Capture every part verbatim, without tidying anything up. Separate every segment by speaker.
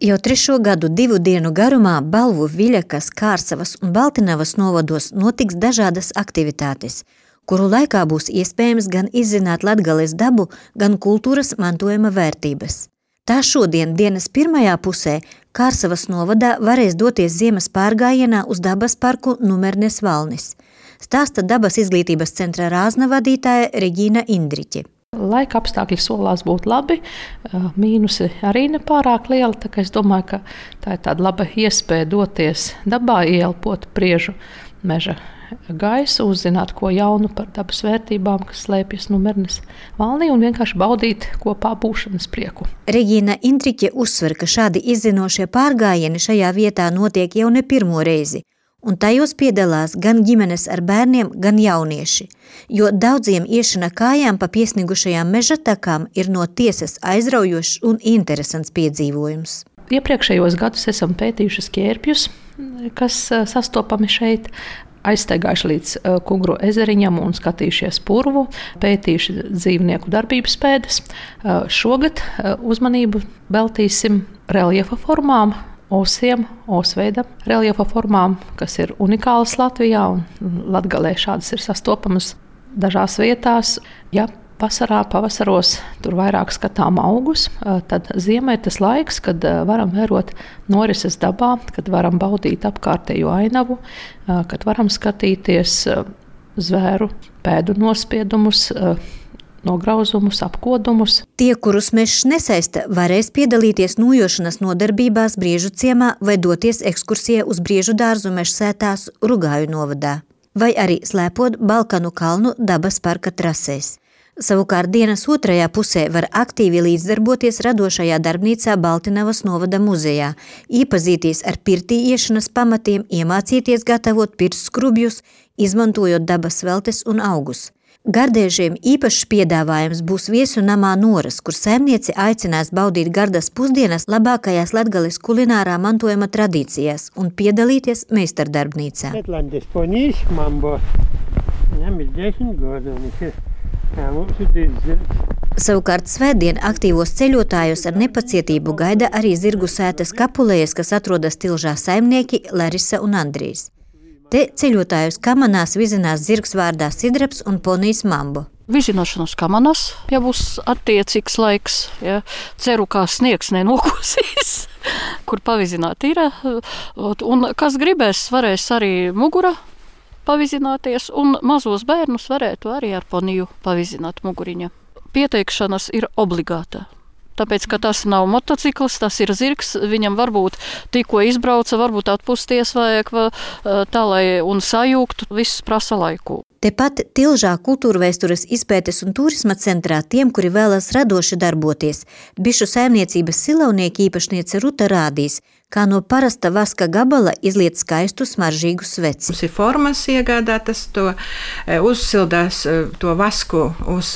Speaker 1: Jau trešo gadu divu dienu garumā Balvu, Viļakas, Kārsavas un Baltinavas novados notiks dažādas aktivitātes, kuru laikā būs iespējams gan izzināt Latgales dabu, gan kultūras mantojuma vērtības. Tā šodien dienas pirmajā pusē Kārsavas novadā varēs doties ziemas pārgājienā uz dabas parku Numernes Valnis. Stāsta dabas izglītības centra Rāzna vadītāja Reģīna Indriķe.
Speaker 2: Laika apstākļi solās būt labi, mīnusi arī nepārāk liela, tā kā es domāju, ka tā ir tāda laba iespēja doties dabā, ieelpot priežu meža gaisu, uzzināt ko jaunu par dabas vērtībām, kas slēpjas Numernes Valnī un vienkārši baudīt kopā būšanas prieku.
Speaker 1: Reģīna Indriķe uzsver, ka šādi izzinošie pārgājieni šajā vietā notiek jau ne pirmo reizi, un tajos piedalās gan ģimenes ar bērniem, gan jaunieši, jo daudziem iešana kājām pa piesnigušajām meža takām ir no tiesas aizraujošs un interesants piedzīvojums.
Speaker 2: Iepriekšējos gadus esam pētījuši ķērpjus, kas sastopami šeit, aizsteigājuši līdz Kungru ezeriņam un skatījušies purvu, pētījuši dzīvnieku darbības pēdas. Šogad uzmanību veltīsim reljefa formām, osiem, osveida reljefa formām, kas ir unikālas Latvijā un Latgalē šādas ir sastopamas dažās vietās. Ja vasarā, pavasaros tur vairāk skatām augus, tad ziemē ir tas laiks, kad varam vērot norises dabā, kad varam baudīt apkārtējo ainavu, kad varam skatīties zvēru pēdu nospiedumus, nograuzumus, apkodumus.
Speaker 1: Tie, kurus mežs nesaista, varēs piedalīties nūjošanas nodarbībās Briežu ciemā vai doties ekskursijā uz Briežu dārzu mežsētās Rugāju novadā, vai arī slēpot Balkanu kalnu dabas parka trasēs. Savukārt dienas otrajā pusē var aktīvi līdzdarboties radošajā darbnīcā Baltinavas novada muzejā, iepazīties ar pirtī iešanas pamatiem, iemācīties gatavot pirtsskrubjus, izmantojot dabas veltes un augus. Gardēžiem īpašs piedāvājums būs viesu namā Noras, kur saimniece aicinās baudīt gardas pusdienas labākajās Latgales kulinārā mantojuma tradīcijās un piedalīties meistardarbnīcā.
Speaker 3: Šetlandes ponīs, mambo. Viņam ir desmit gadu, viņš ir, kā mums ir zirgs.
Speaker 1: Savukārt svētdien aktīvos ceļotājus ar nepacietību gaida arī zirgu sētas Kapulējas, kas atrodas Tilžā saimnieki Larisa un Andrijs. Te ceļotājus kamanās vizinās zirgs vārdā Sidraps un ponijs Mambo.
Speaker 4: Vizināšanos kamanās, ja būs attiecīgs laiks, ja. Ceru, kā sniegs nenokosīs, kur pavizināt ir. Un kas gribēs, varēs arī mugura pavizināties, un mazos bērnus varētu arī ar poniju pavizināt muguriņa. Pieteikšanas ir obligāta. Tāpēc, ka tas nav motocikls, tas ir zirgs, viņam varbūt tikko izbrauca, varbūt atpusties vajag tā, lai un sajūgtu, viss prasa laiku.
Speaker 1: Tepat Tilžā kultūrvēstures izpētes un turisma centrā tiem, kuri vēlas radoši darboties, bišu saimniecības silaunieki īpašniece Ruta rādīs, kā no parasta vaska gabala izliet skaistu smaržīgu sveci.
Speaker 5: Mums ir formas iegādātas, to uzsildās to vasku uz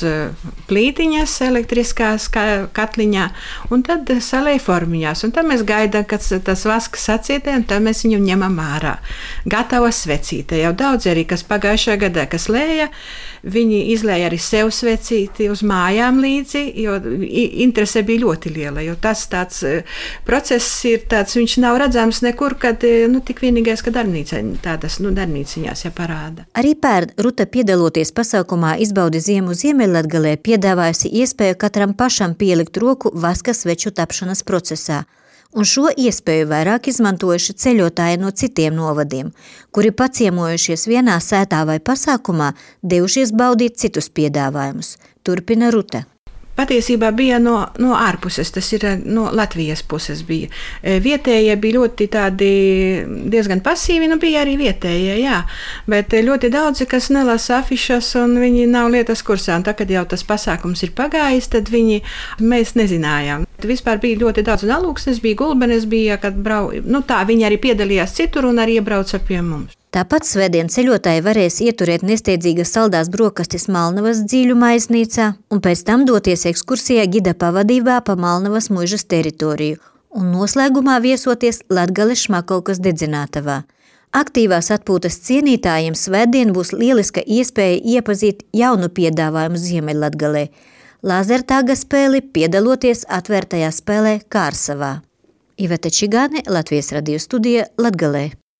Speaker 5: plītiņas elektriskās katliņā, un tad salēja formiņās. Un tad mēs gaidām, kad tas vasks sacietē, un tad mēs viņu ņemam ārā. Gatava svecīte. Jau daudz arī, kas pagājušajā gadā, kas lēja, viņi izlēja arī sev svecīti uz mājām līdzi, jo interese bija ļoti liela, jo tas tāds process ir tāds, viņš nav redzams nekur, kad, nu, tik vienīgais, ka darbnīca, tādas, nu, darbnīciņās jāparāda.
Speaker 1: Arī pērn Ruta piedaloties pasaukumā Izbaudi ziemu Ziemeļlatgalē piedāvājusi iespēju katram pašam pielikt roku vaska sveču tapšanas procesā. Un šo iespēju vairāk izmantojuši ceļotāji no citiem novadiem, kuri paciemojušies vienā sētā vai pasākumā, devušies baudīt citus piedāvājumus. Turpina Ruta.
Speaker 5: Patiesībā bija no, no ārpuses, tas ir no Latvijas puses bija. Vietējie bija ļoti tādi diezgan pasīvi, nu bija arī vietējie, jā, bet ļoti daudzi, kas nelasa afišas un viņi nav lietas kursā, un tā, kad jau tas pasākums ir pagājis, tad viņi, mēs nezinājām. Vispār bija ļoti daudz un alūksnes, bija gulbenes, bija, kad brau, nu tā, viņi arī piedalījās citur un arī iebrauca pie mums.
Speaker 1: Tāpat svētdien ceļotāji varēs ieturēt nesteidzīgas saldās brokastis Malnavas dzīļu maiznīcā un pēc tam doties ekskursijā gida pavadībā pa Malnavas muižas teritoriju un noslēgumā viesoties Latgales Šmakovkas dedzinātavā. Aktīvās atpūtas cienītājiem svētdien būs lieliska iespēja iepazīt jaunu piedāvājumu Ziemeļlatgalē – lazertāga spēli piedaloties atvērtajā spēlē Kārsavā. Iveta Čigāne, Latvijas radio studija Latgalē.